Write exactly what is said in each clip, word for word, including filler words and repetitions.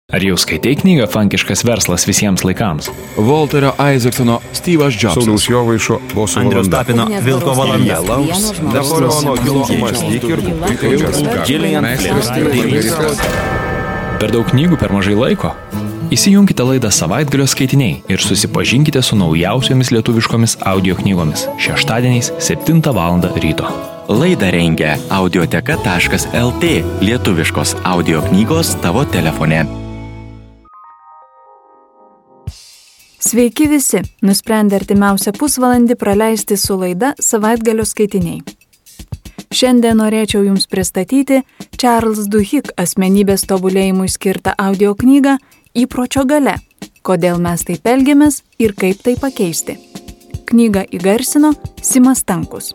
Ar jau skaitai knygą Fankiškas verslas visiems laikams? Walterio Isaacsono Steve'as Jobsas. Sauliaus Jovaišo Boso Andriaus valanda. Tapino Vilko valanda. Napoleono Hilo mąstyk ir Per daug knygų per mažai laiko? Įsijunkite laidą Savaitgalio skaitiniai ir susipažinkite su naujausiomis lietuviškomis audio knygomis šeštadieniais septintą valandą ryto. Laidą rengia audioteka taškas lt, lietuviškos audio knygos tavo telefone. Sveiki visi, nusprendę artimiausią pusvalandį praleisti su laida Savaitgalio skaitiniai. Šiandien norėčiau Jums pristatyti Charles Duhigg asmenybės tobulėjimui skirtą audio knygą Įpročio galia – kodėl mes taip elgiamės ir kaip tai pakeisti. Knygą įgarsino Simas Stankus.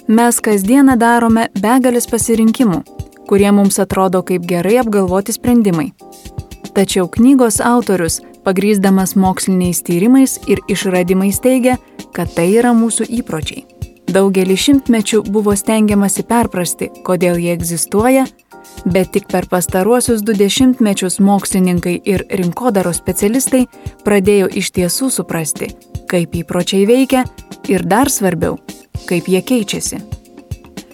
Mes kasdieną darome begalės pasirinkimų, kurie mums atrodo kaip gerai apgalvoti sprendimai. Tačiau knygos autorius, pagrįsdamas moksliniais tyrimais ir išradimais teigia, kad tai yra mūsų įpročiai. Daugelį šimtmečių buvo stengiamasi perprasti, kodėl jie egzistuoja, bet tik per pastaruosius du dešimtmečius mokslininkai ir rinkodaros specialistai pradėjo iš tiesų suprasti, kaip įpročiai veikia ir dar svarbiau, kaip jie keičiasi.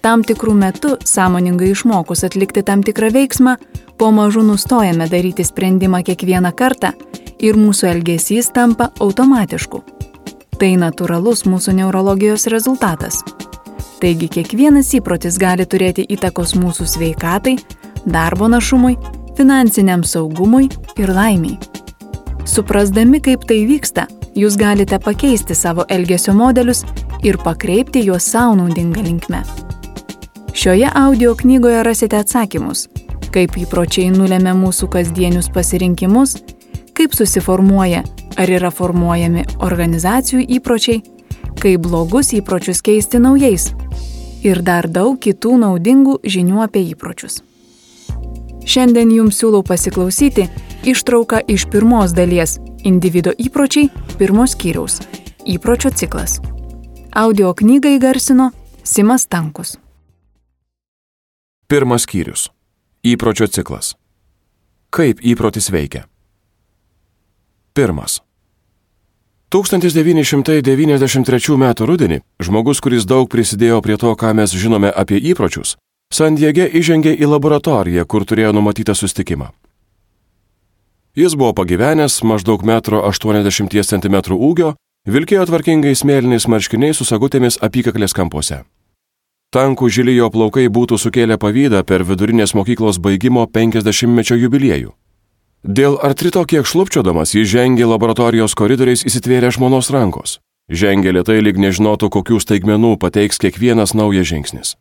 Tam tikrų metų, sąmoningai išmokus atlikti tam tikrą veiksmą, po mažu nustojame daryti sprendimą kiekvieną kartą ir mūsų elgesys tampa automatišku. Tai natūralus mūsų neurologijos rezultatas. Taigi kiekvienas įprotis gali turėti įtakos mūsų sveikatai, darbo našumui, finansiniam saugumui ir laimiai. Suprasdami, kaip tai vyksta, jūs galite pakeisti savo elgesio modelius ir pakreipti juos savo naudinga linkme. Šioje audio knygoje rasite atsakymus, kaip įpročiai nulemia mūsų kasdienius pasirinkimus, kaip susiformuoja ar yra formuojami organizacijų įpročiai, kaip blogus įpročius keisti naujais ir dar daug kitų naudingų žinių apie įpročius. Šiandien Jums siūlau pasiklausyti ištrauką iš pirmos dalies Individo įpročiai pirmos skyriaus Įpročio ciklas. Audio knygą įgarsino Simas Stankus. Pirmas skyrius. Įpročio ciklas. Kaip įprotis veikia? Pirmas. tūkstantis devyni šimtai devyniasdešimt trečių metų rudenį žmogus, kuris daug prisidėjo prie to, ką mes žinome apie įpročius, San Diege įžengė į laboratoriją, kur turėjo numatytą susitikimą. Jis buvo pagyvenęs, maždaug metro aštuoniasdešimt centimetrų ūgio, vilkėjo tvarkingais mėlynais marškiniais su sagutėmis apykaklės kampuose. Tankų žili jo plaukai būtų sukėlę pavydą per vidurinės mokyklos baigimo penkiasdešimtmečio jubiliejų. Dėl artrito kiek šlubčiodamas jis žengė laboratorijos koridoriais įsitvėrę žmonos rankos. Žengė lėtai, lyg nežinotų, kokių staigmenų pateiks kiekvienas naujas žingsnis.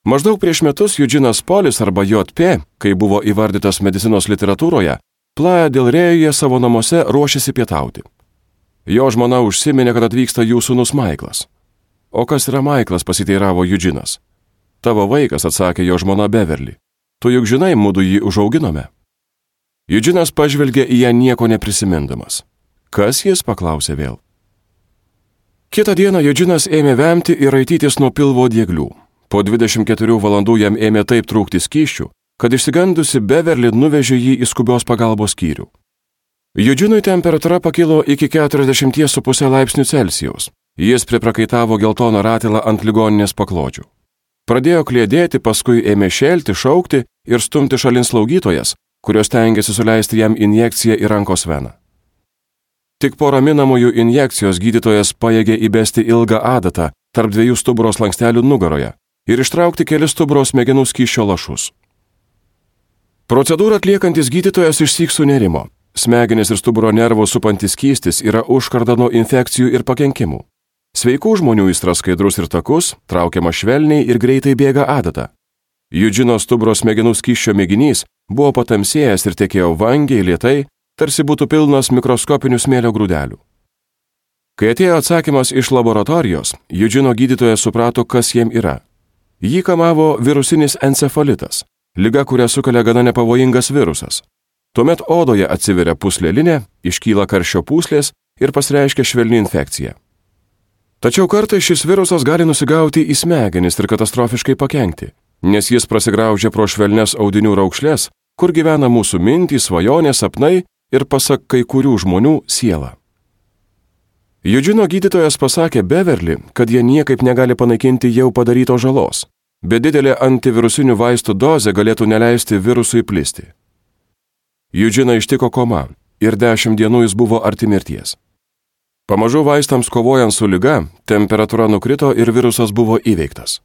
Maždaug prieš metus Eugenas Polis arba J P, kai buvo įvardytas medicinos literatūroje, Playa del Reyuje savo namuose ruošėsi pietauti. Jo žmona užsiminė, kad atvyksta jų sūnus Maiklas. O kas yra Maiklas, pasiteiravo Eugenas. Tavo vaikas, atsakė jo žmona Beverly. Tu juk žinai, mudu jį užauginome. Eugenas pažvelgė į ją nieko neprisimindamas. Kas jis, paklausė vėl. Kitą dieną Eugenas ėmė vemti ir raitytis nuo pilvo dieglių. Po dvidešimt keturių valandų jam ėmė taip trūkti skysčių, kad išsigandusi Beverly nuvežė jį į skubios pagalbos skyrių. Eugenui temperatūra pakilo iki keturiasdešimt su puse laipsnių Celsijaus. Jis priprakaitavo geltoną ratilą ant ligoninės paklodžių. Pradėjo kliedėti, paskui ėmė šelti, šaukti ir stumti šalin slaugytojas, kurios tengiasi suleisti jam injekciją į rankos veną. Tik po raminamųjų injekcijos gydytojas pajėgė įbesti ilgą adatą tarp dviejų stuburo slankstelių nugaroje ir ištraukti kelis stuburo smegenų skysčio lašus. Procedūrą atliekantis gydytojas išsyk sunerimo. Smegenis ir stuburo nervo supantis skystis yra užkarda nuo infekcijų ir pakenkimų. Sveikų žmonių įstras skaidrus ir takus, traukiama švelniai ir greitai bėga adata. Eugeno stuburo smegenų skysčio mėginys buvo patamsėjęs ir tekėjo vangiai, lėtai, tarsi būtų pilnas mikroskopinių smėlio grūdelių. Kai atėjo atsakymas iš laboratorijos, Eugeno gydytojas suprato, kas jam yra. Jį kamavo virusinis encefalitas, liga, kurią sukelia gana nepavojingas virusas. Tuomet odoje atsiveria pūslelinė, iškyla karščio pūslės ir pasireiškia švelni infekcija. Tačiau kartais šis virusas gali nusigauti į smegenis ir katastrofiškai pakenkti, nes jis prasigraužia pro švelnes audinių raukšles, kur gyvena mūsų mintys, svajonės, sapnai ir pasak kai kurių žmonių siela. Eugeno gydytojas pasakė Beverly, kad jie niekaip negali panaikinti jau padarytos žalos, bet didelė antivirusinių vaistų dozė galėtų neleisti virusui plisti. Eugeną ištiko koma ir dešimt dienų jis buvo arti mirties. Pamažu vaistams kovojant su liga, temperatūra nukrito ir virusas buvo įveiktas.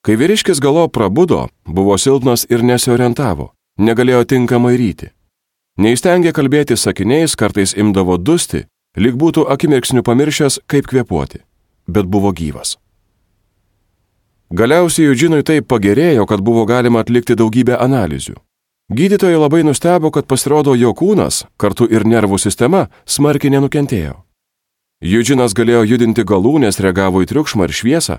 Kai vyriškis galop prabudo, buvo silpnas ir nesiorientavo, negalėjo tinkamai ryti. Neįstengė kalbėti sakiniais, kartais imdavo dusti, lyg būtų akimirksniu pamiršęs, kaip kvėpuoti, bet buvo gyvas. Galiausiai Eugenui taip pagerėjo, kad buvo galima atlikti daugybę analizių. Gydytojai labai nustebo, kad pasirodo jo kūnas, kartu ir nervų sistema, smarkiai nenukentėjo. Eugenas galėjo judinti galūnes, reagavo į triukšmą ir šviesą,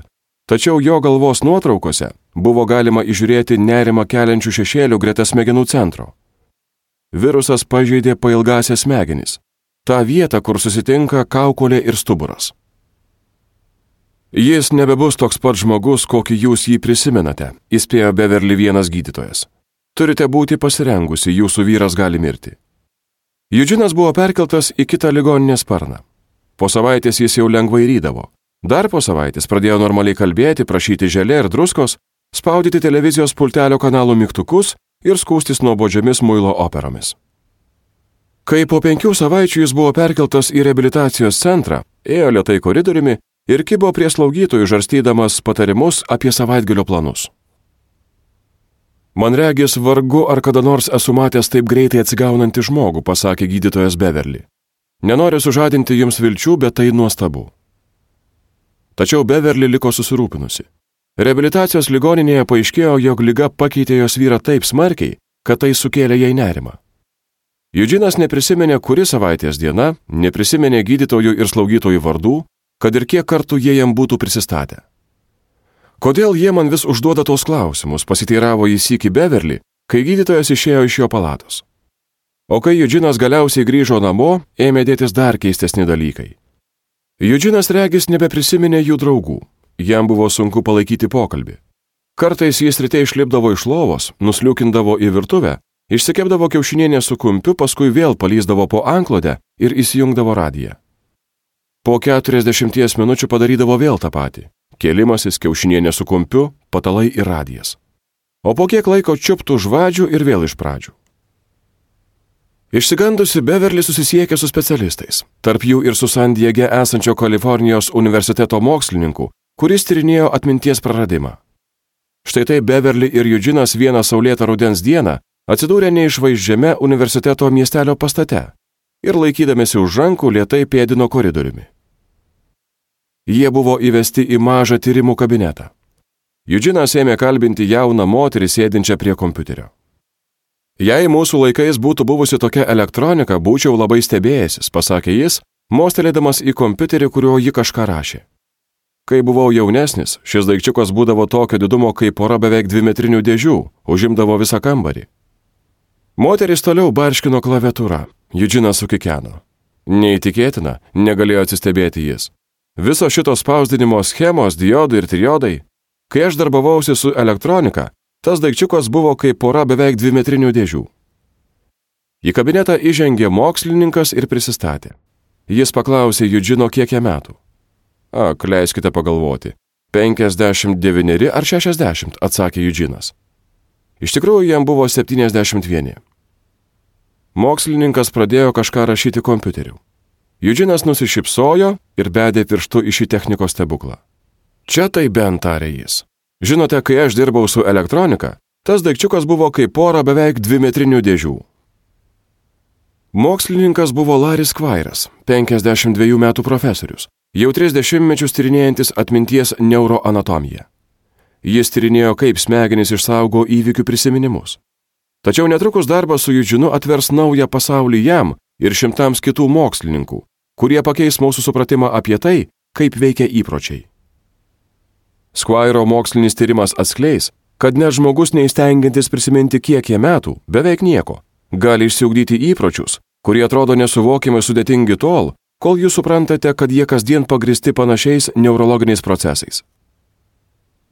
tačiau jo galvos nuotraukose buvo galima įžiūrėti nerimą keliančių šešėlių greta smegenų centro. Virusas pažeidė pailgąsias smegenis, tą vietą, kur susitinka kaukolė ir stuburas. Jis nebebus toks pat žmogus, kokį jūs jį prisimenate, įspėjo Beverly vienas gydytojas. Turite būti pasirengusi, jūsų vyras gali mirti. Eugenas buvo perkeltas į kitą ligoninės sparną. Po savaitės jis jau lengvai rydavo. Dar po savaitės pradėjo normaliai kalbėti, prašyti želė ir druskos, spaudyti televizijos pultelio kanalų mygtukus ir skūstis nuobodžiomis muilo operomis. Kai po penkių savaičių jis buvo perkeltas į reabilitacijos centrą, ėjo lėtai koridoriumi ir kibo prie slaugytojų žarstydamas patarimus apie savaitgalio planus. Man regis, vargu ar kada nors esu matęs taip greitai atsigaunantį žmogų, pasakė gydytojas Beverly. Nenoriu sužadinti jums vilčių, bet tai nuostabu. Tačiau Beverly liko susirūpinusi. Reabilitacijos ligoninėje paaiškėjo, jog liga pakeitė jos vyrą taip smarkiai, kad tai sukėlė jai nerimą. Eugenas neprisiminė, kuri savaitės diena, neprisiminė gydytojų ir slaugytojų vardų, kad ir kiek kartų jie jam būtų prisistatę. Kodėl jie man vis užduoda tos klausimus, pasiteiravo jis sykį Beverly, kai gydytojas išėjo iš jo palatos. O kai Eugenas galiausiai grįžo namo, ėmė dėtis dar keistesni dalykai. Eugenas regis nebeprisiminė jų draugų, jam buvo sunku palaikyti pokalbį. Kartais jis ryte išlipdavo iš lovos, nusliukindavo į virtuvę, išsikepdavo kiaušinienę su kumpiu, paskui vėl palyzdavo po antklodę ir įsijungdavo radiją. Po keturiasdešimties minučių padarydavo vėl tą patį. Kėlimasis, kiaušinienė su kumpiu, patalai ir radijas. O po kiek laiko čiuptų žvadžių ir vėl iš pradžių. Išsigandusi Beverly susisiekė su specialistais, tarp jų ir su San Diege esančio Kalifornijos universiteto mokslininku, kuris tyrinėjo atminties praradimą. Štai tai Beverly ir Eugenas vieną saulėtą rudens dieną atsidūrė neišvaizdžiame universiteto miestelio pastate ir laikydamėsi už rankų lėtai pėdino koridoriumi. Jie buvo įvesti į mažą tyrimų kabinetą. Eugenas ėmė kalbinti jauną moterį sėdinčią prie kompiuterio. Jei mūsų laikais būtų buvusi tokia elektronika, būčiau labai stebėjęsis, pasakė jis, mostelėdamas į kompiuterį, kuriuo ji kažką rašė. Kai buvau jaunesnis, šis daikčiukas būdavo tokio didumo kaip pora beveik dvimetrinių dėžių, užimdavo visą kambarį. Moteris toliau barškino klaviatūrą, Eugenas sukikeno. Neįtikėtina, negalėjo atsistebėti jis. Viso šitos spausdinimo schemos, diodai ir triodai. Kai aš darbavausi su elektronika, tas daikčiukas buvo kaip pora beveik dvimetrinių dėžių. Į kabinetą įžengė mokslininkas ir prisistatė. Jis paklausė Eugeno, kiek jam metų. Ak, leiskite pagalvoti. penkiasdešimt devyneri ar šešiasdešimt, atsakė Eugenas. Iš tikrųjų, jam buvo septyniasdešimt vieni. Mokslininkas pradėjo kažką rašyti kompiuteriu. Eugenas nusišypsojo ir bedė pirštu į šį technikos stebuklą. Čia tai bent, tarė jis. Žinote, kai aš dirbau su elektronika, tas daikčiukas buvo kaip pora beveik dvimetrinių dėžių. Mokslininkas buvo Larry Squires, penkiasdešimt dviejų metų profesorius, jau tris dešimtmečius tyrinėjantis atminties neuroanatomiją. Jis tyrinėjo, kaip smegenys išsaugo įvykių prisiminimus. Tačiau netrukus darbas su Eugenu atvers naują pasaulį jam ir šimtams kitų mokslininkų, kurie pakeis mūsų supratimą apie tai, kaip veikia įpročiai. Squiro mokslinis tyrimas atskleis, kad net žmogus neįstengiantis prisiminti kiek jie metų, beveik nieko, gali išsiugdyti įpročius, kurie atrodo nesuvokimai sudėtingi tol, kol jūs suprantate, kad jie kasdien pagristi panašiais neurologiniais procesais.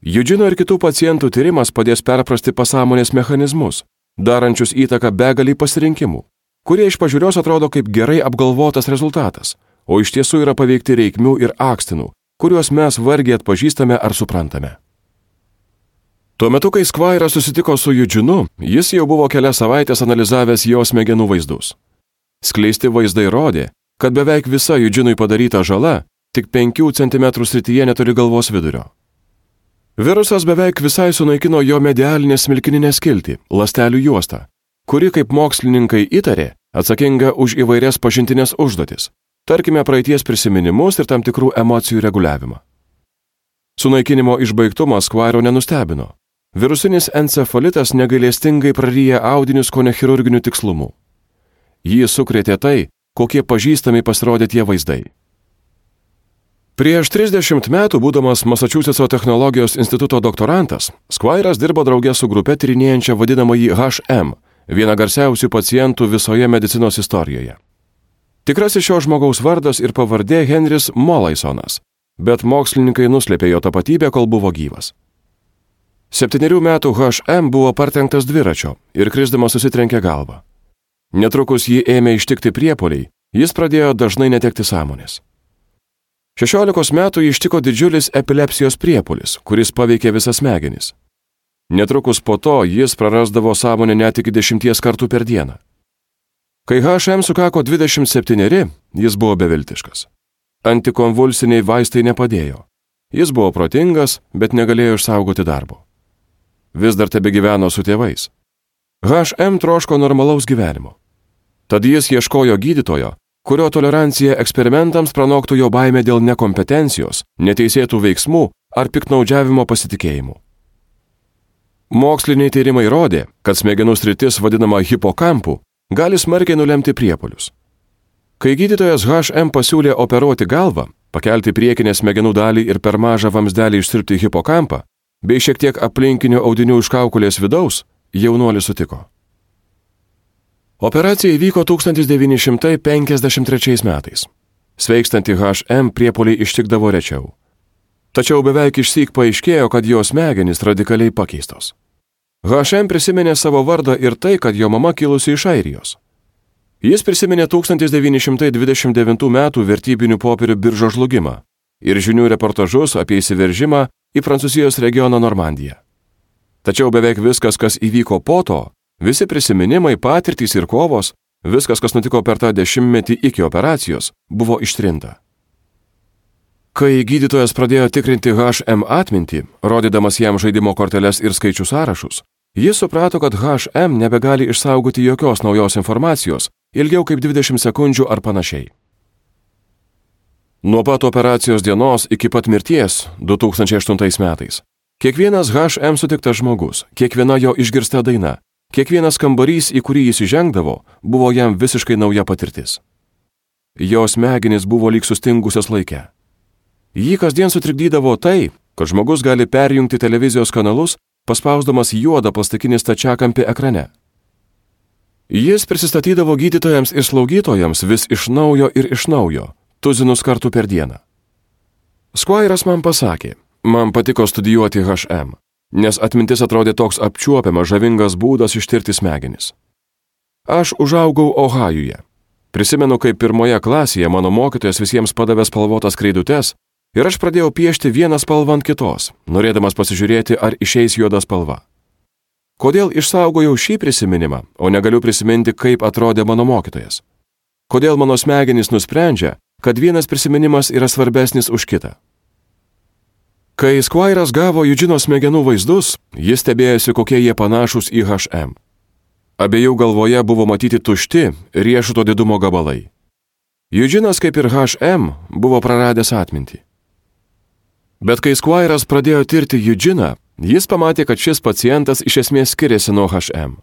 Eugeno ir kitų pacientų tyrimas padės perprasti pasąmonės mechanizmus, darančius įtaką begalį pasirinkimų, kurie iš pažiūrios atrodo kaip gerai apgalvotas rezultatas, o iš tiesų yra paveikti reikmių ir akstinų, kuriuos mes vargiai atpažįstame ar suprantame. Tuo metu, kai Squire susitiko su Eugenu, jis jau buvo kelias savaitės analizavęs jo smegenų vaizdus. Skleisti vaizdai rodė, kad beveik visa Eugenui padaryta žala tik penkių centimetrų srityje netoli galvos vidurio. Virusas beveik visai sunaikino jo medialinę smilkininę skiltį, ląstelių juostą, kuri, kaip mokslininkai įtarė, atsakinga už įvairias pažintinės užduotis, tarkime praeities prisiminimus ir tam tikrų emocijų reguliavimą. Sunaikinimo išbaigtumas Squire nenustebino. Virusinis encefalitas negailestingai praryja audinius kone chirurginiu tikslumu. Jį sukrėtė tai, kokie pažįstami pasirodė tie vaizdai. Prieš trisdešimt metų, būdamas Masačusetso technologijos instituto doktorantas, Squire'as dirbo drauge su grupe tyrinėjančia vadinamąjį H M, vieną garsiausių pacientų visoje medicinos istorijoje. Tikrasis šio žmogaus vardas ir pavardė Henris Molaisonas, bet mokslininkai nuslėpė jo tapatybę, kol buvo gyvas. Septynerių metų H M buvo partrenktas dviračio ir krisdamas susitrenkė galvą. Netrukus jį ėmė ištikti priepuoliai, jis pradėjo dažnai netekti sąmonės. Šešiolikos metų jį ištiko didžiulis epilepsijos priepuolis, kuris paveikė visas smegenis. Netrukus po to jis prarasdavo sąmonę net iki dešimties kartų per dieną. Kai H M sukako dvidešimt septyneri, jis buvo beviltiškas. Antikonvulsiniai vaistai nepadėjo. Jis buvo protingas, bet negalėjo išsaugoti darbo. Vis dar tebegyveno su tėvais. H M troško normalaus gyvenimo. Tad jis ieškojo gydytojo, kurio tolerancija eksperimentams pranoktų jo baimę dėl nekompetencijos, neteisėtų veiksmų ar piktnaudžiavimo pasitikėjimų. Moksliniai tyrimai rodė, kad smegenų sritis vadinama hipokampu gali smarkiai nulemti priepuolius. Kai gydytojas H M pasiūlė operuoti galvą, pakelti priekinę smegenų dalį ir per mažą vamsdelį išsiurbti hipokampą, bei šiek tiek aplinkinių audinių iš kaukolės vidaus, jaunuolis sutiko. Operacija įvyko tūkstantis devyni šimtai penkiasdešimt trečiais metais. Sveikstantį H M priepuoliai ištikdavo rečiau. Tačiau beveik išsyk paaiškėjo, kad jo smegenys radikaliai pakeistos. H M prisiminė savo vardą ir tai, kad jo mama kilusi iš Airijos. Jis prisiminė tūkstantis devyni šimtai dvidešimt devintų metų vertybinių popierių biržos žlugimą ir žinių reportažus apie įsiveržimą į Prancūzijos regioną Normandiją. Tačiau beveik viskas, kas įvyko po to, visi prisiminimai, patirtys ir kovos, viskas, kas nutiko per tą dešimtmetį iki operacijos, buvo ištrinta. Kai gydytojas pradėjo tikrinti H M atmintį, rodydamas jam žaidimo korteles ir skaičių sąrašus, jis suprato, kad H M nebegali išsaugoti jokios naujos informacijos ilgiau kaip dvidešimt sekundžių ar panašiai. Nuo pat operacijos dienos iki pat mirties du tūkstančiai aštuntais metais kiekvienas H M sutiktas žmogus, kiekviena jo išgirsta daina, kiekvienas kambarys, į kurį jis įžengdavo, buvo jam visiškai nauja patirtis. Jo smegenys buvo lyg sustingusios laike. Jį kasdien sutrikdydavo tai, kad žmogus gali perjungti televizijos kanalus, paspausdamas juodą plastikinį stačiakampį ekrane. Jis prisistatydavo gydytojams ir slaugytojams vis iš naujo ir iš naujo, tuzinus kartų per dieną. Squire'as man pasakė, man patiko studijuoti H M, nes atmintis atrodė toks apčiuopiamas žavingas būdas ištirti smegenis. Aš užaugau Ohajuje. Prisimenu, kaip pirmoje klasėje mano mokytojas visiems padavė spalvotas kreidutes ir aš pradėjau piešti vieną spalvą ant kitos, norėdamas pasižiūrėti, ar išeis juoda spalva. Kodėl išsaugojau šį prisiminimą, o negaliu prisiminti, kaip atrodė mano mokytojas? Kodėl mano smegenys nusprendžia, kad vienas prisiminimas yra svarbesnis už kitą? Kai Squire'as gavo Eugeno smegenų vaizdus, jis stebėjosi, kokie jie panašūs į H M. Abiejų galvoje buvo matyti tušti, riešuto didumo gabalai. Eugenas, kaip ir H M, buvo praradęs atmintį. Bet kai Squire'as pradėjo tirti Eugeną, jis pamatė, kad šis pacientas iš esmės skiriasi nuo H M.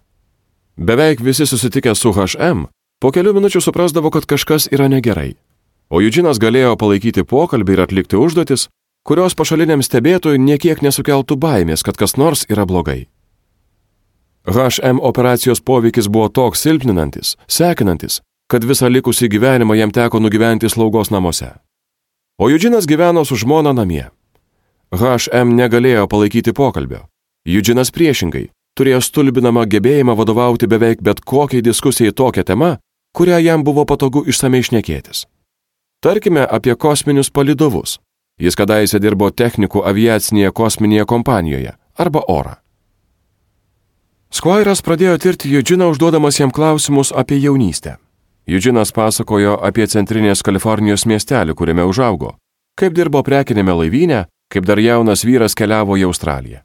Beveik visi susitikę su H M po kelių minučių suprasdavo, kad kažkas yra negerai. O Eugenas galėjo palaikyti pokalbį ir atlikti užduotis, kurios pašaliniam stebėtojui niekiek nesukeltų baimės, kad kas nors yra blogai. H M operacijos poveikis buvo toks silpninantis, sekinantis, kad visą likusį gyvenimą jam teko nugyventi slaugos namuose. O Eugenas gyveno su žmona namie. H M negalėjo palaikyti pokalbio. Eugenas priešingai turėjo stulbinamą gebėjimą vadovauti beveik bet kokiai diskusijai tokia tema, kurią jam buvo patogu išsamei šnekėtis. Tarkime apie kosminius palydovus. Jis kadaise dirbo technikų aviacinėje kosminėje kompanijoje arba orą. Squire'as pradėjo tirti Eugene užduodamas jam klausimus apie jaunystę. Eugene'as pasakojo apie centrinės Kalifornijos miestelį, kuriame užaugo, kaip dirbo prekinėme laivyne, kaip dar jaunas vyras keliavo į Australiją.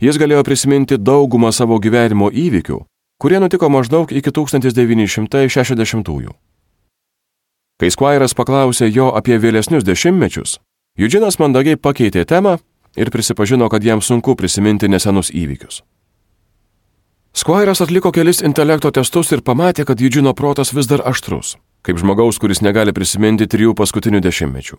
Jis galėjo prisiminti daugumą savo gyvenimo įvykių, kurie nutiko maždaug iki tūkstantis devyni šimtai šešiasdešimtųjų. Kai Squire'as paklausė jo apie vėlesnius dešimtmečius, Eugene'as mandagiai pakeitė temą ir prisipažino, kad jam sunku prisiminti nesenus įvykius. Squire'as atliko kelis intelekto testus ir pamatė, kad Eugene'o protas vis dar aštrus, kaip žmogaus, kuris negali prisiminti trijų paskutinių dešimtmečių.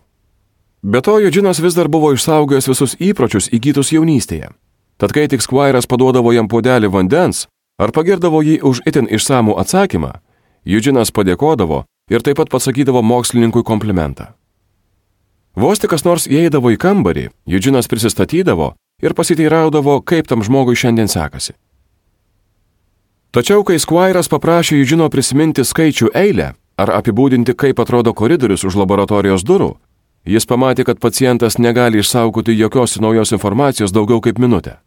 Be to, Eugene'as vis dar buvo išsaugojęs visus įpročius įgytus jaunystėje. Tad kai tik Squire'as paduodavo jam puodelį vandens ar pagirdavo jį už itin išsamų atsakymą, Eugene'as padėkodavo ir taip pat pasakydavo mokslininkui komplimentą. Vos tik kas nors įeidavo į kambarį, Eugene'as prisistatydavo ir pasiteiraudavo, kaip tam žmogui šiandien sekasi. Tačiau, kai Squire'as paprašė Eugene'o prisiminti skaičių eilę ar apibūdinti, kaip atrodo koridorius už laboratorijos durų, jis pamatė, kad pacientas negali išsaugoti jokios naujos informacijos daugiau kaip minutę.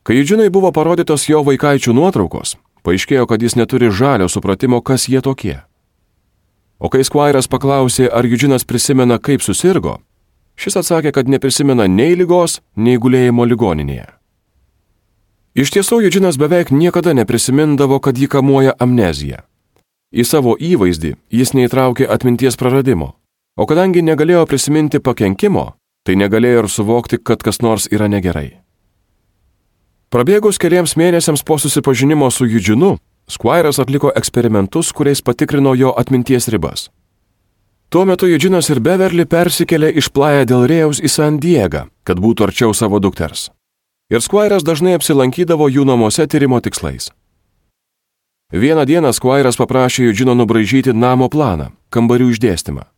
Kai Eugene'ui buvo parodytos jo vaikaičių nuotraukos, paaiškėjo, kad jis neturi žalio supratimo, kas jie tokie. O kai Squire'as paklausė, ar Eugene'as prisimena, kaip susirgo, šis atsakė, kad neprisimena nei ligos, nei gulėjimo ligoninėje. Iš tiesų, Eugene'as beveik niekada neprisimindavo, kad jį kamuoja amnezija. Į savo įvaizdį jis neįtraukė atminties praradimo, o kadangi negalėjo prisiminti pakenkimo, tai negalėjo ir suvokti, kad kas nors yra negerai. Prabėgus keliems mėnesiams po susipažinimo su Eugene'u, Squire'as atliko eksperimentus, kuriais patikrino jo atminties ribas. Tuo metu Eugene'as ir Beverly persikėlė iš Playa del Rėjaus į San Diegą, kad būtų arčiau savo dukters. Ir Squire'as dažnai apsilankydavo jų namuose tyrimo tikslais. Vieną dieną Squire'as paprašė Eugene'o nubraižyti namo planą, kambarių išdėstymą.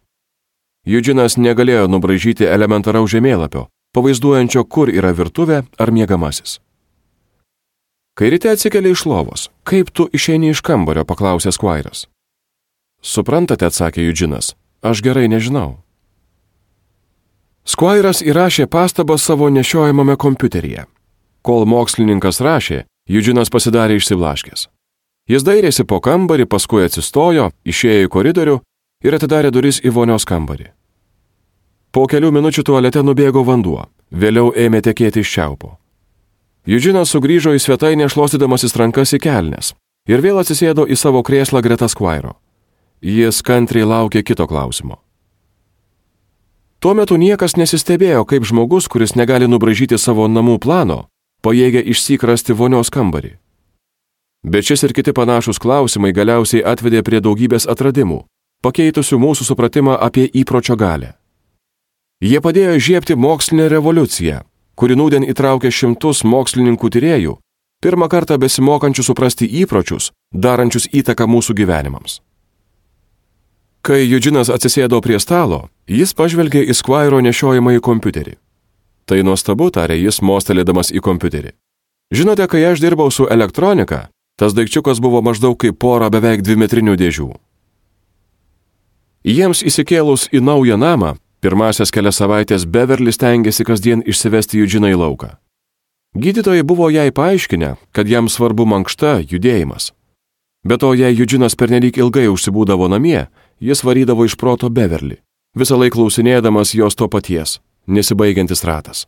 Eugene'as negalėjo nubraižyti elementaraus žemėlapio, pavaizduojančio, kur yra virtuvė ar miegamasis. Kai ryte atsikeli iš lovos, kaip tu išeini iš kambario, paklausė Squire'as. Suprantate, atsakė Eugene'as, aš gerai nežinau. Squire'as įrašė pastabą savo nešiojamame kompiuteryje. Kol mokslininkas rašė, Eugene'as pasidarė išsiblaškęs. Jis dairėsi po kambarį, paskui atsistojo, išėjo į koridorių ir atidarė duris į vonios kambarį. Po kelių minučių tualete nubėgo vanduo, vėliau ėmė tekėti iš čiaupo. Eugene'as sugrįžo į svetainę šluostydamasis rankas į kelnes ir vėl atsisėdo į savo krėslą greta Squire'o. Jis kantriai laukė kito klausimo. Tuo metu niekas nesistebėjo, kaip žmogus, kuris negali nubraižyti savo namų plano, pajėgia išsyk rasti vonios kambarį. Bet šis ir kiti panašus klausimai galiausiai atvedė prie daugybės atradimų, pakeitusių mūsų supratimą apie įpročio galią. Jie padėjo įžiebti mokslinę revoliuciją, kuri nūdien įtraukė šimtus mokslininkų tyrėjų, pirmą kartą besimokančių suprasti įpročius, darančius įtaką mūsų gyvenimams. Kai Eugene'as atsisėdo prie stalo, jis pažvelgė į Squire'o nešiojamąjį kompiuterį. Tai nuostabu, tarė jis, mostelėdamas į kompiuterį. Žinote, kai aš dirbau su elektronika, tas daikčiukas buvo maždaug kaip pora beveik dvimetrinių dėžių. Jiems įsikėlus į naują namą, pirmasias kelias savaitės Beverly stengėsi kasdien išsivesti Eugene'ą į lauką. Gydytojai buvo jai paaiškinę, kad jam svarbu mankšta, judėjimas. Be to, jei Eugene'as pernelyg ilgai užsibūdavo namie, jis varydavo iš proto Beverly, visą laiką klausinėdamas jos to paties, nesibaigiantis ratas.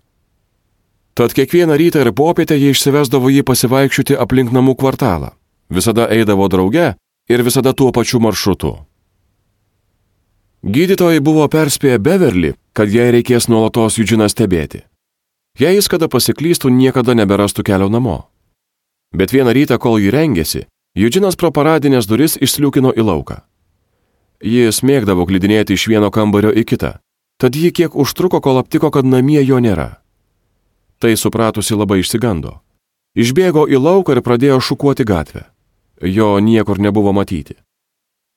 Tad kiekvieną rytą ir popietę jie išsivesdavo jį pasivaikščioti aplink namų kvartalą, visada eidavo drauge ir visada tuo pačiu maršrutu. Gydytojai buvo perspėję Beverly, kad jai reikės nuolatos Eugene'ą stebėti. Jei jis kada pasiklystų, niekada neberastų kelio namo. Bet vieną rytą, kol jį rengėsi, Eugene'as pro paradinės duris išsliūkino į lauką. Jis mėgdavo glidinėti iš vieno kambario į kitą, tad jį kiek užtruko, kol aptiko, kad namie jo nėra. Tai supratusi labai išsigando. Išbėgo į lauką ir pradėjo šukuoti gatvę. Jo niekur nebuvo matyti.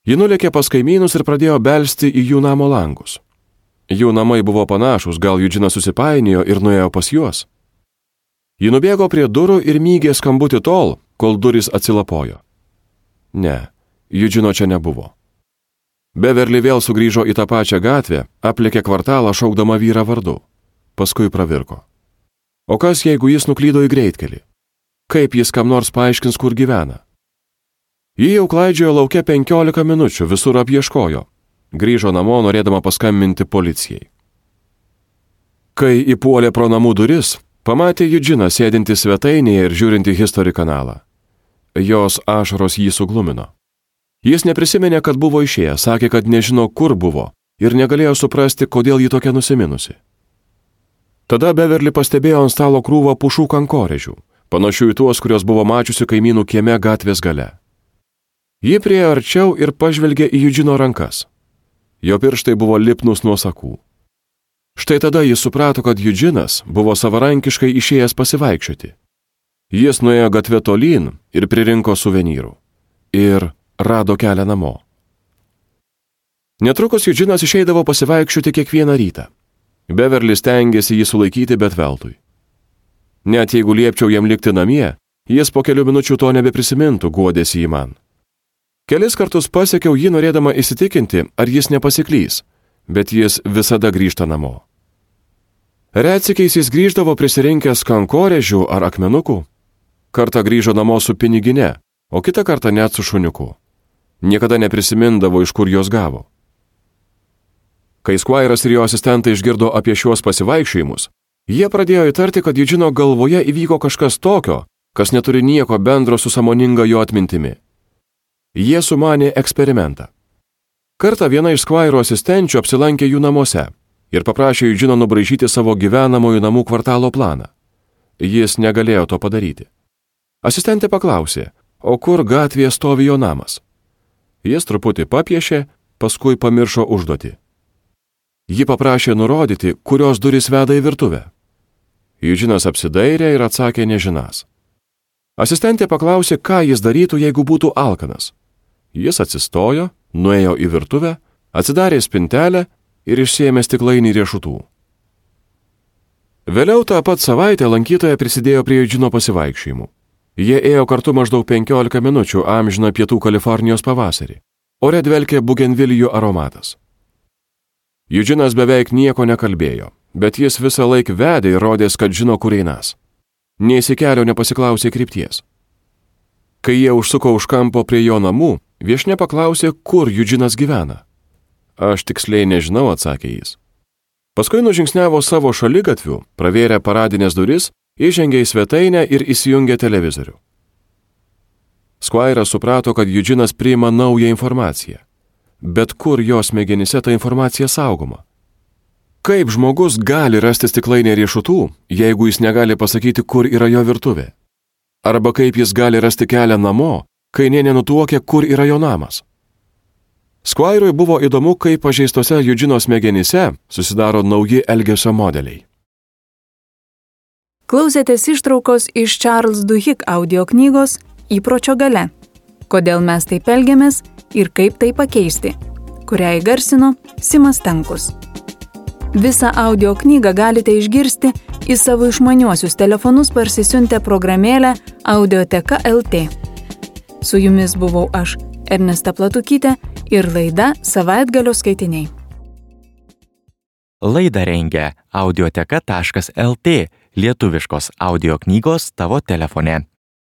Ji nulėkė pas kaimynus ir pradėjo belsti į jų namo langus. Jų namai buvo panašus, gal Eugene'as susipainiojo ir nuėjo pas juos. Ji nubėgo prie durų ir mygė skambutį tol, kol durys atsilapojo. Ne, Eugeno čia nebuvo. Beverly vėl sugrįžo į tą pačią gatvę, aplėkė kvartalą šaukdama vyrą vardu. Paskui pravirko. O kas, jeigu jis nuklydo į greitkelį? Kaip jis kam nors paaiškins, kur gyvena? Ji jau klaidžiojo lauke penkiolika minučių, visur apieškojo. Grįžo namo, norėdama paskambinti policijai. Kai įpuolė pro namų duris, pamatė Eugeną sėdintį svetainėje ir žiūrintį History kanalą. Jos ašaros jį suglumino. Jis neprisiminė, kad buvo išėjęs, sakė, kad nežino, kur buvo ir negalėjo suprasti, kodėl ji tokia nusiminusi. Tada Beverly pastebėjo ant stalo krūvą pušų kankorėžių, panašių į tuos, kurios buvo mačiusi kaimynų kieme gatvės gale. Ji priėjo arčiau ir pažvelgė į Eugeno rankas. Jo pirštai buvo lipnus nuo sakų. Štai tada jis suprato, kad Eugenas buvo savarankiškai išėjęs pasivaikščioti. Jis nuėjo gatvę tolyn ir pririnko suvenyrų. Ir rado kelią namo. Netrukus Eugenas išeidavo pasivaikščioti kiekvieną rytą. Beverly stengėsi jį sulaikyti, bet veltui. Net jeigu liepčiau jam likti namie, jis po kelių minučių to nebeprisimintų, guodėsi jį man. Kelis kartus pasiekiau jį norėdama įsitikinti, ar jis nepasiklys, bet jis visada grįžta namo. Retsykiais jis grįždavo prisirinkęs kankorėžių ar akmenukų. Kartą grįžo namo su pinigine, o kitą kartą net su šuniuku. Niekada neprisimindavo, iš kur jos gavo. Kai Squire'as ir jo asistentai išgirdo apie šiuos pasivaikščiojimus, jie pradėjo įtarti, kad Eugeno galvoje įvyko kažkas tokio, kas neturi nieko bendro su sąmoninga jo atmintimi. Jie sumanė eksperimentą. Kartą viena iš Squire'o asistenčių apsilankė jų namuose ir paprašė Eugeno nubraižyti savo gyvenamojų namų kvartalo planą. Jis negalėjo to padaryti. Asistentė paklausė, o kur gatvėje stovi jo namas. Jis truputį papiešė, paskui pamiršo užduotį. Ji paprašė nurodyti, kurios durys veda į virtuvę. Eugenas apsidairė ir atsakė nežinas. Asistentė paklausė, ką jis darytų, jeigu būtų alkanas. Jis atsistojo, nuėjo į virtuvę, atsidarė spintelę ir išsiėmė stiklainį riešutų. Vėliau tą pat savaitę lankytoja prisidėjo prie Eugeno pasivaikščiojimų. Jie ėjo kartu maždaug penkiolika minučių amžiną pietų Kalifornijos pavasarį. Ore dvelkė bugenvilijų aromatas. Eugenas beveik nieko nekalbėjo, bet jis visą laiką vedė ir rodės, kad žino, kur einas. Nė įsikelio nepasiklausė krypties. Kai jie užsuko už kampo prie jo namų, viešnia paklausė, kur Eugenas gyvena. Aš tiksliai nežinau, atsakė jis. Paskui nužingsniavo savo šaligatviu, pravėrė paradinės duris, įžengė į svetainę ir įsijungė televizorių. Squire'as suprato, kad Eugenas priima naują informaciją. Bet kur jos smegenyse ta informacija saugoma? Kaip žmogus gali rasti stiklainę riešutų, jeigu jis negali pasakyti, kur yra jo virtuvė? Arba kaip jis gali rasti kelią namo, kai nė nenutuokia, kur yra jo namas? Squire'ui buvo įdomu, kaip pažeistose Eugeno smegenyse susidaro nauji elgesio modeliai. Klausėtės ištraukos iš Charles Duhigg audio knygos Įpročio galia. Kodėl mes taip elgiamės ir kaip tai pakeisti, kurią įgarsino Simas Stankus. Visą audio knygą galite išgirsti į savo išmaniuosius telefonus parsisiuntę programėlę Audioteka L T. Su jumis buvau aš, Ernesta Platukytė, ir laida Savaitgalio skaitiniai. Laidą rengia audioteka taškas L T, lietuviškos audio knygos tavo telefone.